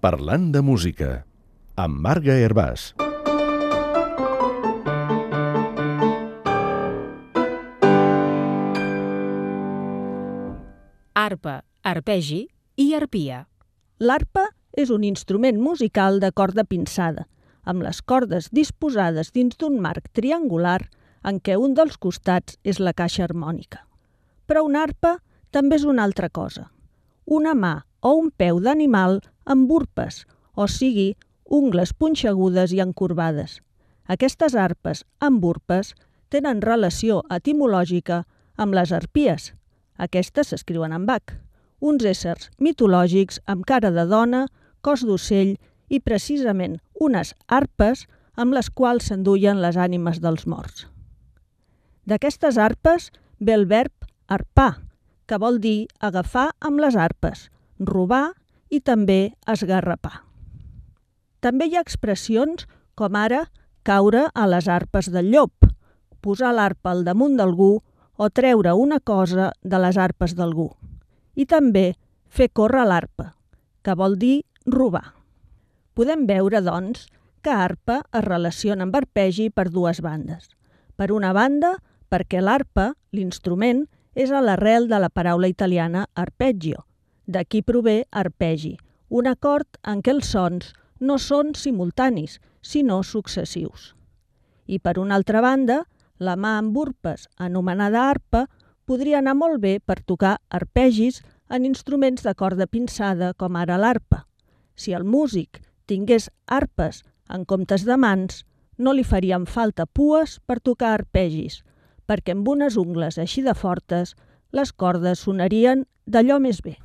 Parlant de música, amb Marga Hervàs. Arpa, arpegi i arpia. L'arpa és un instrument musical de corda pinçada, amb les cordes disposades dins d'un marc triangular en què un dels costats és la caixa harmònica. Però una arpa també és una altra cosa. Una mà o un peu d'animal amb urpes, o sigui, ungles punxegudes i encorbades. Aquestes arpes amb urpes tenen relació etimològica amb les arpies. Aquestes s'escriuen amb H, uns éssers mitològics amb cara de dona, cos d'ocell i precisament unes arpes amb les quals s'enduien les ànimes dels morts. D'aquestes arpes ve el verb arpar, que vol dir agafar amb les arpes, robar i també esgarrapar. També hi ha expressions com ara caure a les arpes del llop, posar l'arpa al damunt d'algú o treure una cosa de les arpes d'algú. I també fer córrer l'arpa, que vol dir robar. Podem veure, doncs, que arpa es relaciona amb arpegi per dues bandes. Per una banda, perquè l'arpa, l'instrument, és a l'arrel de la paraula italiana arpeggio. D'aquí prové arpegi, un acord en què els sons no són simultanis, sinó successius. I per una altra banda, la mà amb urpes, anomenada arpa, podria anar molt bé per tocar arpegis en instruments de corda pinçada com ara l'arpa. Si el músic tingués arpes en comptes de mans, no li farien falta pues per tocar arpegis, perquè amb unes ungles així de fortes les cordes sonarien d'allò més bé.